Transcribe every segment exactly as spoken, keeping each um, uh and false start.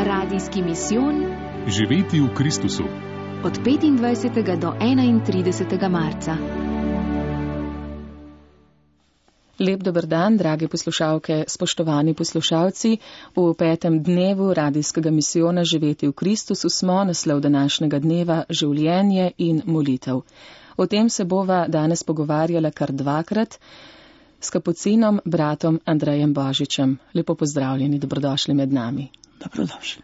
Radijski misijon Živeti v Kristusu. Od petindvajsetega do enaintridesetega marca. Lep dober dan, drage poslušalke, spoštovani poslušalci. V petem dnevu radijskega misijona Živeti v Kristusu smo naslov današnjega dneva Življenje in molitev. O tem se bova danes pogovarjala kar dvakrat s kapucinom bratom Andrejem Božičem. Lepo pozdravljeni, dobrodošli med nami. Dobrodošli.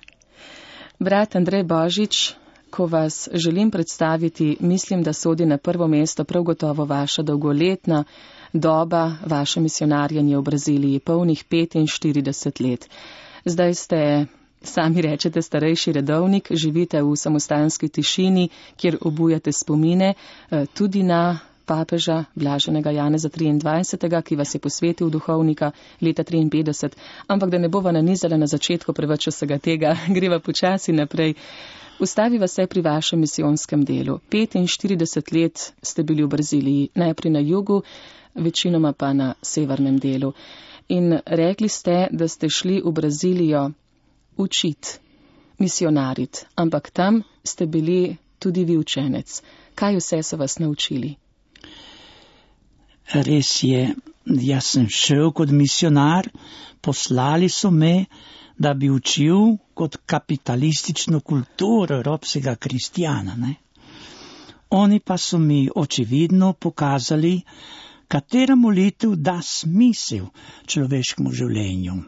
Brat Andrej Božič, ko vas želim predstaviti, mislim, da sodi na prvo mesto prav gotovo vaša dolgoletna doba, vaše misionarjenje v Braziliji, polnih petinštirideset let. Zdaj ste, sami rečete, starejši redovnik, živite v samostanski tišini, kjer obujate spomine tudi na papeža Blaženega Janeza triindvajsetega, ki vas je posvetil v duhovnika leta triinpetdeset, ampak da ne bova nanizala na začetku preveč vsega tega, greva počasi naprej. Ustaviva se pri vašem misijonskem delu. petinštirideset let ste bili v Braziliji, najprej na jugu, večinoma pa na severnem delu. In rekli ste, da ste šli v Brazilijo učiti, misionarit, ampak tam ste bili tudi vi učenec. Kaj vse so vas naučili? Res je, jaz sem šel kot misionar, poslali so me, da bi učil kot kapitalistično kulturo evropskega kristjana. Ne? Oni pa so mi očividno pokazali, katera molitev da smisel človeškemu življenju.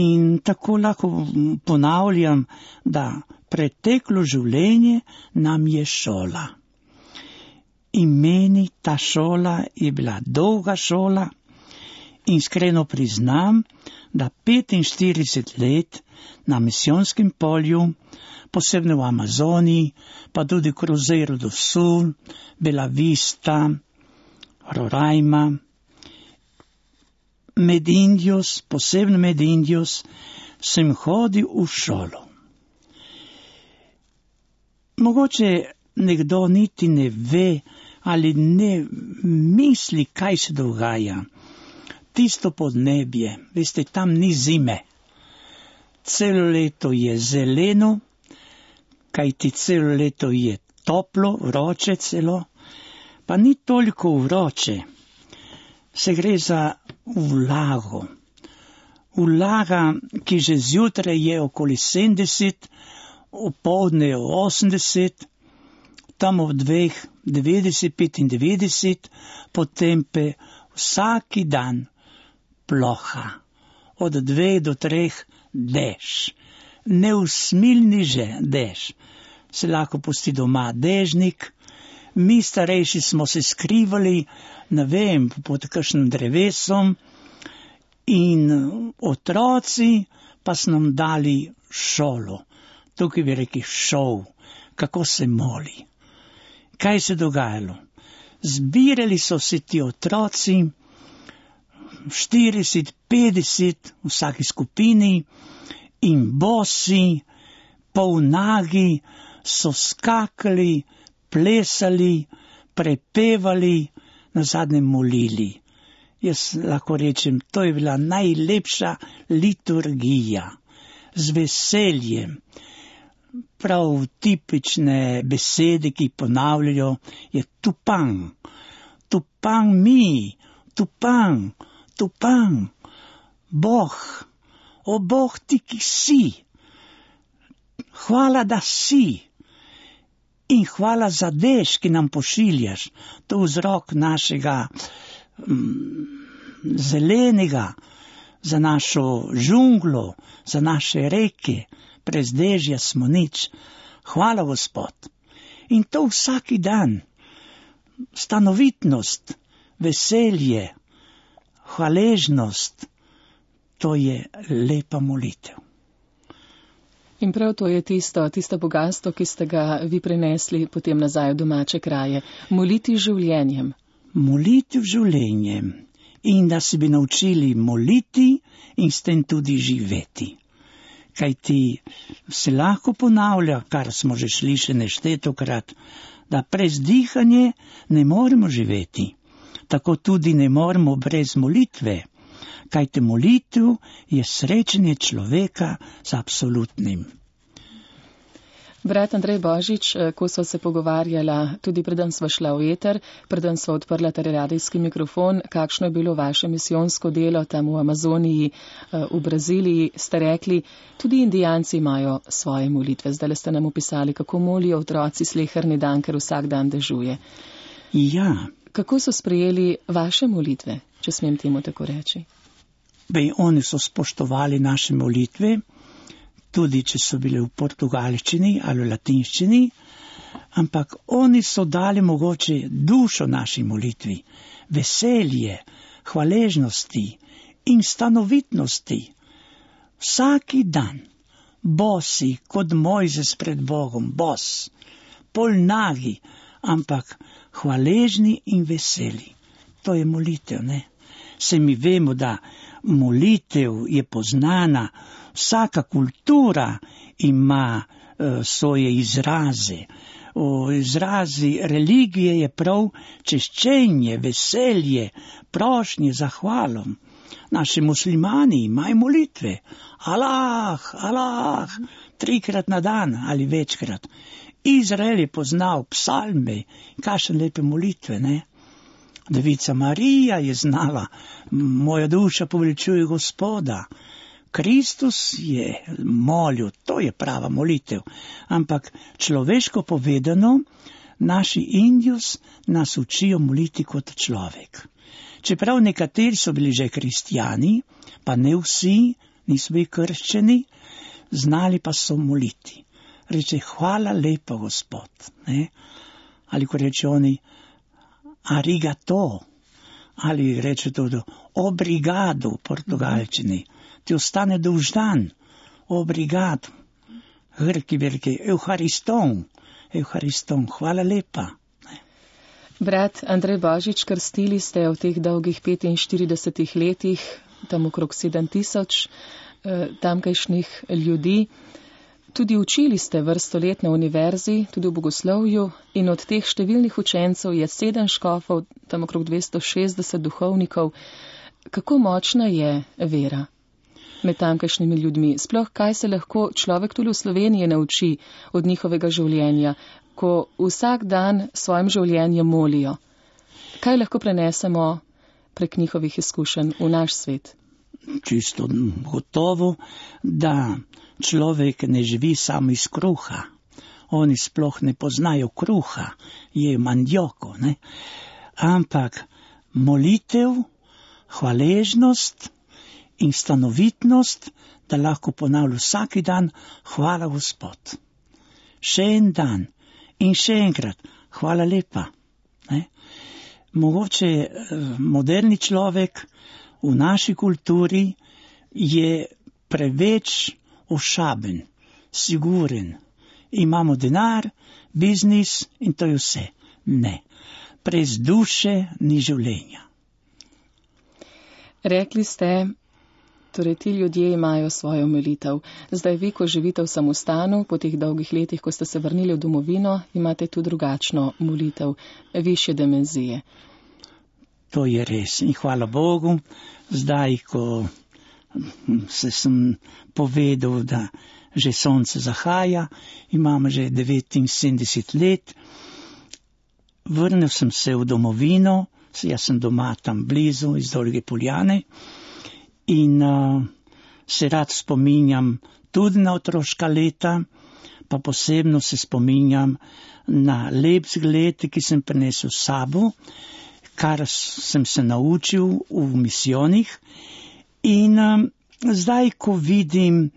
In tako lahko ponavljam, da preteklo življenje nam je šola. In meni ta šola je bila dolga šola in iskreno priznam, da petinštirideset let na misijonskem polju, posebno v Amazoniji, pa tudi Cruzeiro do Sul, Bela Vista, Roraima, med Indijos, posebno med Indijos, sem hodil v šolo. Mogoče nekdo niti ne ve ali ne misli, kaj se dogaja. Tisto podnebje, veste, tam ni zime. Celo leto je zeleno, kajti celo leto je toplo, vroče celo, pa ni toliko vroče. Se gre za vlago. Vlaga, ki že zjutraj je okoli sedemdeset, opoldne je osemdeset, tam ob dveh devetdeset, petindevetdeset, potem pa vsaki dan ploha. Od dveh do treh dež. Neusmilni že dež. Se lahko pusti doma dežnik. Mi starejši smo se skrivali, ne vem, pod kakšnim drevesom in otroci pa so nam dali šolo. Tukaj bi rekli šov, kako se moli. Kaj se dogajalo? Zbirali so se ti otroci, štirideset, petdeset v vsaki skupini in bosi, polnagi so skakali, plesali, prepevali, nazadnje molili. Jaz lahko rečem, to je bila najlepša liturgija, z veseljem. Prav tipične besede, ki ponavljajo, je tupang, tupang mi, tupang, tupang, Bog, o Bog ti, ki si, hvala, da si in hvala za dež, ki nam pošiljaš, to vzrok našega mm, zelenega, za našo žunglo, za naše reke. Brez dežja smo nič. Hvala, Gospod. In to vsaki dan. Stanovitnost, veselje, hvaležnost, to je lepa molitev. In prav to je tisto, tisto bogatstvo, ki ste ga vi prinesli potem nazaj v domače kraje. Moliti življenjem. Moliti življenjem. In da se bi naučili moliti in s tem tudi živeti. Kaj ti se lahko ponavlja, kar smo že slišali neštetokrat, da brez dihanja ne moremo živeti. Tako tudi ne moremo brez molitve. Kajte molitev je srečanje človeka z absolutnim. Brat Andrej Božič, ko sva se pogovarjala, tudi preden sva šla v eter, preden sva odprla ter radijski mikrofon, kakšno je bilo vaše misijonsko delo tam v Amazoniji, v Braziliji, ste rekli, tudi indijanci imajo svoje molitve. Zdaj ste nam opisali, kako molijo otroci sleherni dan, ker vsak dan dežuje. Ja. Kako so sprejeli vaše molitve, če smem temu tako reči? Bej, oni so spoštovali naše molitve, tudi če so bile v portugalščini ali v latinščini, ampak oni so dali mogoče dušo naši molitvi, veselje, hvaležnosti in stanovitnosti. Vsaki dan, bosi, kot Mojzes pred Bogom, bos, polnagi, ampak hvaležni in veseli. To je molitev, ne? Se mi vemo, da molitev je poznana, vsaka kultura ima uh, svoje izraze. O izrazi religije je prav češčenje, veselje, prošnje, zahvalom. Naši muslimani imajo molitve. Allah, Allah, trikrat na dan ali večkrat. Izrael je poznal psalme, kakšne lepe molitve, ne? Devica Marija je znala, moja duša poveličuje Gospoda. Kristus je molil, to je prava molitev. Ampak človeško povedano, naši Indijus nas učijo moliti kot človek. Čeprav nekateri so bili že kristijani, pa ne vsi, niso bili krščeni, znali pa so moliti. Reče, hvala lepa, Gospod. Ne? Ali ko reče oni, arigato, ali reče tudi obrigado v portugalčini, ti ostane dolžan, obrigado, grki veliki, euhariston, euhariston, hvala lepa. Brat Andrej Božič, krstili ste v teh dolgih petinštiridesetih letih, tam okrog sedem tisoč eh, tamkajšnjih ljudi. Tudi učili ste vrsto let na univerzi, tudi v bogoslovju, in od teh številnih učencev je sedem škofov, tam okrog dvesto šestdeset duhovnikov. Kako močna je vera med tamkajšnjimi ljudmi? Sploh kaj se lahko človek tudi v Sloveniji nauči od njihovega življenja, ko vsak dan svojim življenjem molijo? Kaj lahko prenesemo prek njihovih izkušenj v naš svet? Čisto gotovo, da človek ne živi samo iz kruha. Oni sploh ne poznajo kruha, je mandjoko, ne? Ampak molitev, hvaležnost in stanovitnost, da lahko ponavlja vsaki dan, hvala Gospod. Še en dan in še enkrat, hvala lepa. Ne? Mogoče moderni človek v naši kulturi je preveč ošaben, siguren. Imamo denar, biznis in to je vse. Ne. Brez duše ni življenja. Rekli ste, torej ti ljudje imajo svojo molitev. Zdaj vi, ko živite v samostanu, po teh dolgih letih, ko ste se vrnili v domovino, imate tu drugačno molitev, višje dimenzije. To je res. In hvala Bogu, zdaj, ko se sem povedal, da že sonce zahaja, imam že devetinsedemdeset let, vrnil sem se v domovino, jaz sem doma tam blizu, iz Dolge Poljane, in uh, se rad spominjam tudi na otroška leta, pa posebno se spominjam na lep zgled, ki sem prinesel s sabo, kar sem se naučil v misijonih. In um, zdaj, ko vidim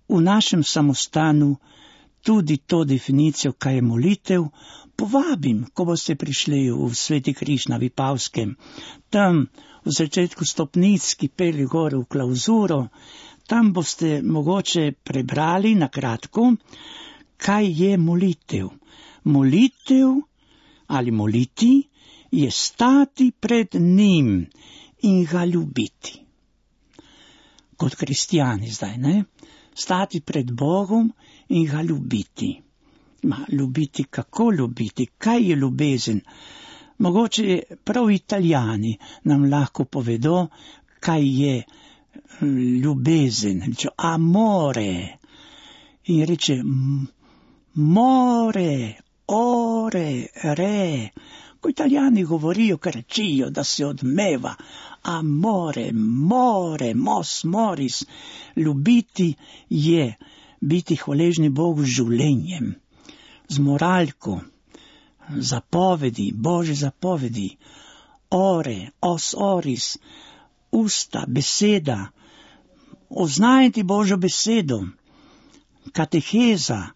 v našem samostanu tudi to definicijo, kaj je molitev, povabim, ko boste prišli v Sveti Križ na Vipavskem, tam v začetku stopnic, ki pelje gor v klauzuro, tam boste mogoče prebrali na kratko, kaj je molitev. Molitev ali moliti je stati pred njim in ga ljubiti. Kot kristijani zdaj, ne? Stati pred Bogom in ga ljubiti. Ma, ljubiti, kako ljubiti? Kaj je ljubezen? Mogoče prav Italijani nam lahko povedo, kaj je ljubezen. Reče amore. In reče more, ore, re. Ko Italijani govorijo, krečijo, da se odmeva. Amore, more, mos, moris. Ljubiti je biti hvaležni Bogu z življenjem, z moralko, zapovedi, Božje zapovedi, ore, os, oris, usta, beseda, oznajati Božjo besedo, kateheza,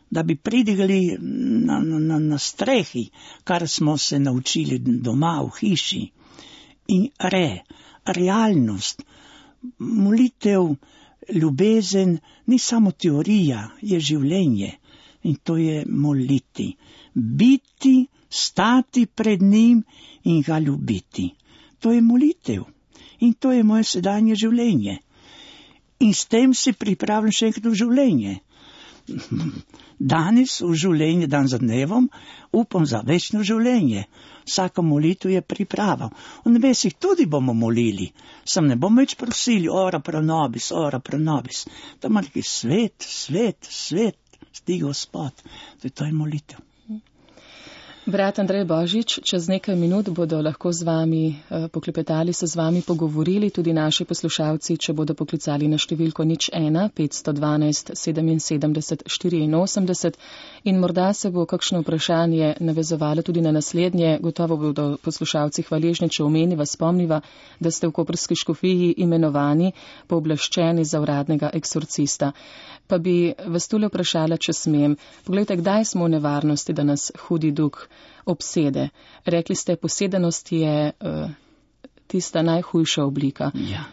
da bi pridigali na, na, na strehi, kar smo se naučili doma v hiši. In re, realnost, molitev, ljubezen, ni samo teorija, je življenje. In to je moliti. Biti, stati pred njim in ga ljubiti. To je molitev. In to je moje sedanje življenje. In s tem se pripravljam še enkrat v življenje. Danes v življenje, dan za dnevom, upam za večno življenje. Vsaka molitev je priprava. V nebesih tudi bomo molili. Sam ne bomo več prosili, ora pro nobis, ora pro nobis. Tam je neki svet, svet, svet, sti Gospod. To je molitev. Brat Andrej Božič, čez nekaj minut bodo lahko z vami eh, poklepetali, se z vami pogovorili tudi naši poslušalci, če bodo poklicali na številko nič ena petsto dvanajst sedeminsedemdeset štiriinosemdeset in morda se bo kakšno vprašanje navezovalo tudi na naslednje. Gotovo bodo poslušalci hvaležni, če omeniva, spomniva, da ste v koprski škofiji imenovani pooblaščeni za uradnega eksorcista. Pa bi vas tule vprašala, če smem. Poglejte, kdaj smo v nevarnosti, da nas hudi duh obsede? Rekli ste, posedenost je uh, tista najhujša oblika. Ja.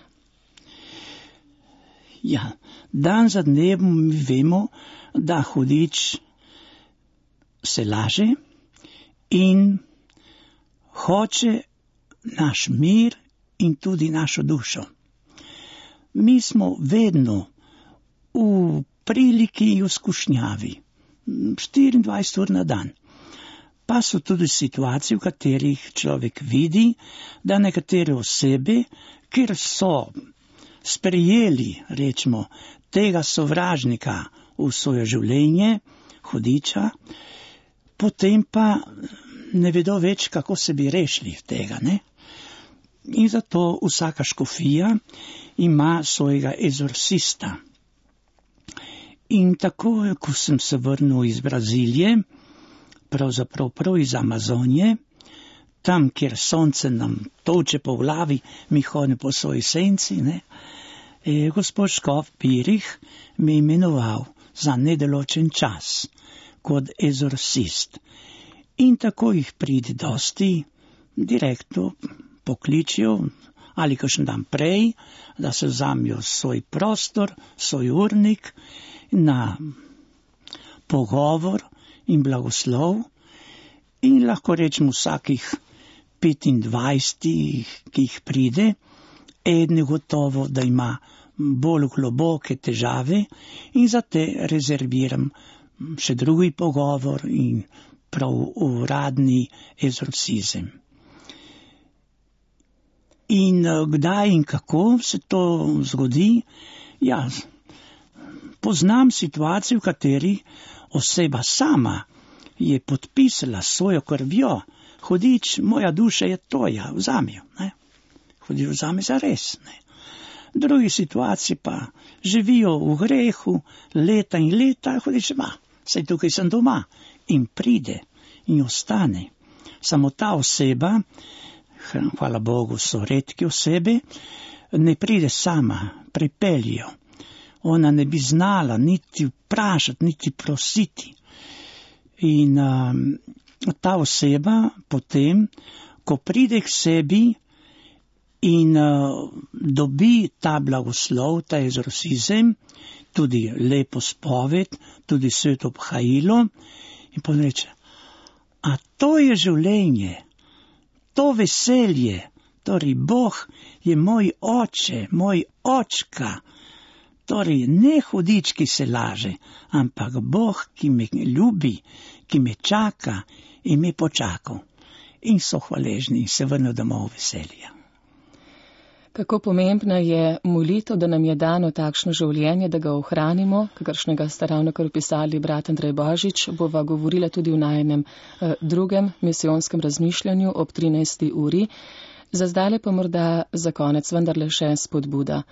Ja, dan za dnevom mi vemo, da hudič se laže in hoče naš mir in tudi našo dušo. Mi smo vedno v priliki in v skušnjavi, štiriindvajset ur na dan. Pa so tudi situacije, v katerih človek vidi, da nekatere osebe, ker so sprejeli, rečemo, tega sovražnika v svoje življenje, hudiča, potem pa ne vedo več, kako se bi rešili tega, ne? In zato vsaka škofija ima svojega egzorcista. In tako, ko sem se vrnil iz Brazilije, pravzaprav prav iz Amazonije, tam, kjer sonce nam toče po glavi, mi hodimo po svoji senci, ne, je gospod škof Pirih me imenoval za nedoločen čas kot egzorcist. In tako jih pride dosti, direktno pokličijo, ali kakšen dan prej, da se vzamijo svoj prostor, svoj urnik, na pogovor in blagoslov in lahko rečemo vsakih petindvajset, ki jih pride, eden gotovo, da ima bolj globoke težave in za te rezerviram še drugi pogovor in prav uradni egzorcizem. In kdaj in kako se to zgodi? Ja, poznam situacijo, v kateri oseba sama je podpisala svojo krvjo, hudič, moja duša je tvoja, vzami jo, ne? Hudič vzami za res, ne? Drugi situaciji pa živijo v grehu leta in leta, hudič, ma, saj tukaj sem doma, in pride in ostane. Samo ta oseba, hvala Bogu, so redke osebe, ne pride sama, pripeljijo. Ona ne bi znala niti vprašati, niti prositi. In um, ta oseba potem, ko pride k sebi in uh, dobi ta blagoslov, ta egzorcizem, tudi lepo spoved, tudi sveto obhajilo, in potem reče, a to je življenje, to veselje, torej Bog je moj oče, moj očka, torej ne hudič, ki se laže, ampak Bog, ki me ljubi, ki me čaka in me počakal. in so hvaležni in se vrnejo domov veselja. Kako pomembna je molitev, da nam je dano takšno življenje, da ga ohranimo, kakršnega ste ravnokar opisali brat Andrej Božič, bova govorila tudi v najenem eh, drugem misijonskem razmišljanju ob trinajsti uri. Za zdaj pa morda za konec vendarle še spodbuda.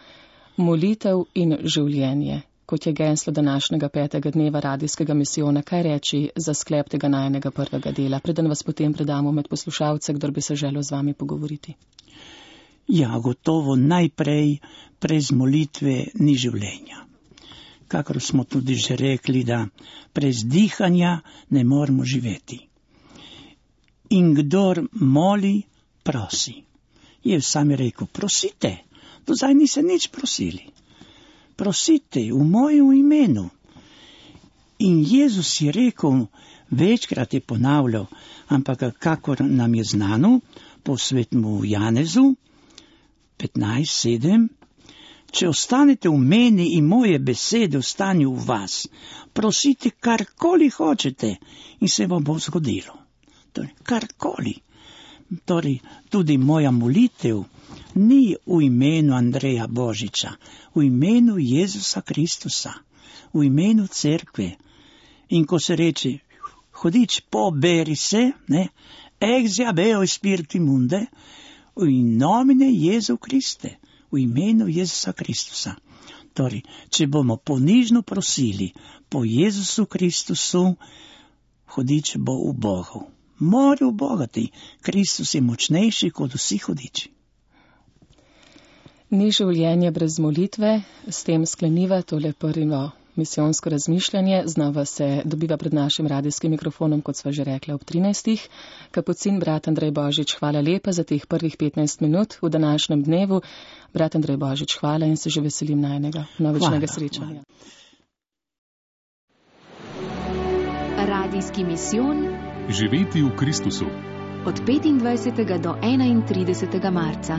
Molitev in življenje, kot je geslo današnjega petega dneva radijskega misijona, kaj reči za sklep tega najenega prvega dela, preden vas potem predamo med poslušalce, kdor bi se želel z vami pogovoriti. Ja, gotovo najprej brez molitve ni življenja. Kakor smo tudi že rekli, da brez dihanja ne moremo živeti. In kdor moli, prosi. Jezus sam je rekel, prosite, do zdaj niste nič prosili. Prosite v mojem imenu. In Jezus je rekel, večkrat je ponavljal, ampak kakor nam je znano, po svetemu Janezu, petnajst sedem, če ostanete v meni in moje besede ostanejo v vas, prosite karkoli hočete in se vam bo zgodilo. Torej, karkoli. Torej, tudi moja molitev ni v imenu Andreja Božiča, v imenu Jezusa Kristusa, v imenu cerkve. In ko se reče, hodič poberi se, ne, ex jabeo spiriti munde, v nomine Jezu Kriste, v imenu Jezusa Kristusa. Torej, če bomo ponižno prosili po Jezusu Kristusu, hodič bo v Bogu. Mora v Bogati, Kristus je močnejši kot vsi hodiči. Ni življenje brez molitve, s tem skleniva tole prvo misijonsko razmišljanje. Znova se dobiva pred našim radijskim mikrofonom, kot sva že rekla, ob trinajstih. Kapucin, brat Andrej Božič, hvala lepa za teh prvih petnajst minut v današnjem dnevu. Brat Andrej Božič, hvala in se že veselim najnega novičnega srečanja. Radijski misijon. Živeti v Kristusu. Od petindvajsetega do enaintridesetega marca.